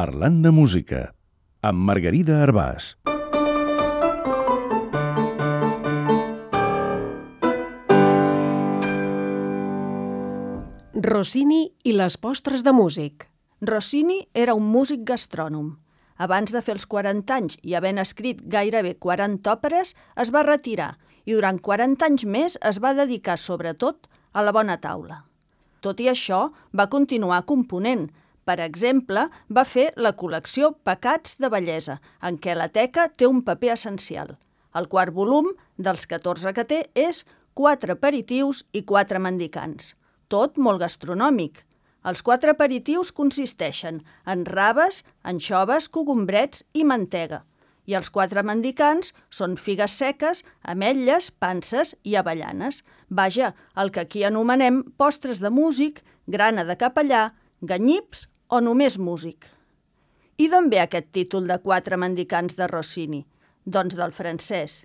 Parlant de música, amb Margarida Arbàs. Rossini i les postres de músic. Rossini era un músic gastrònom. Abans de fer els 40 anys i havent escrit gairebé 40 òperes, es va retirar i durant 40 anys més es va dedicar sobretot a la bona taula. Tot i això, va continuar component. Per exemple, va fer la col·lecció Pecats de bellesa, en què la teca té un paper essencial. El quart volum, dels 14 que té, és 4 aperitius i 4 mendicants. Tot molt gastronòmic. Els 4 aperitius consisteixen en raves, anxoves, cogombrets i mantega. I els 4 mendicants són figues seques, ametlles, panses i avellanes. Vaja, el que aquí anomenem postres de músic, grana de capellà, ganyips o només músic. I d'on ve aquest títol de 4 mendicants de Rossini? Doncs del francès.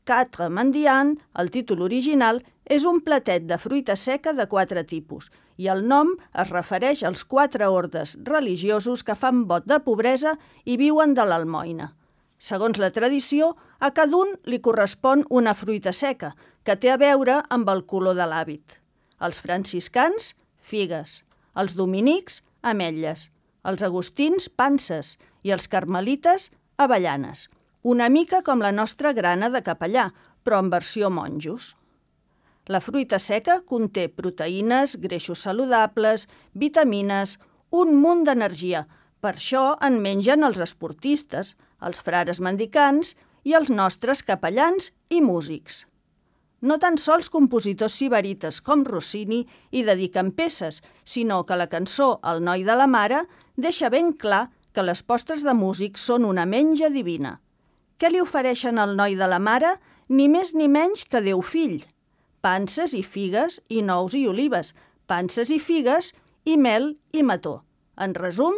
Quatre mendiants, el títol original, és un platet de fruita seca de 4 tipus i el nom es refereix als 4 ordes religiosos que fan vot de pobresa i viuen de l'almoina. Segons la tradició, a cada un li correspon una fruita seca, que té a veure amb el color de l'hàbit. Els franciscans, figues. Els dominics, ametlles. Els agustins, panses. I els carmelites, avellanes. Una mica com la nostra grana de capellà, però en versió monjos. La fruita seca conté proteïnes, greixos saludables, vitamines, un munt d'energia. Per això en mengen els esportistes, els frares mendicants i els nostres capellans i músics. No tan sols compositors sibarites com Rossini hi dediquen peces, sinó que la cançó El noi de la mare deixa ben clar que les postres de músic són una menja divina. Què li ofereixen al noi de la mare? Ni més ni menys que Déu fill. Panses i figues i nous i olives, panses i figues i mel i mató. En resum,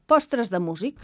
postres de músic.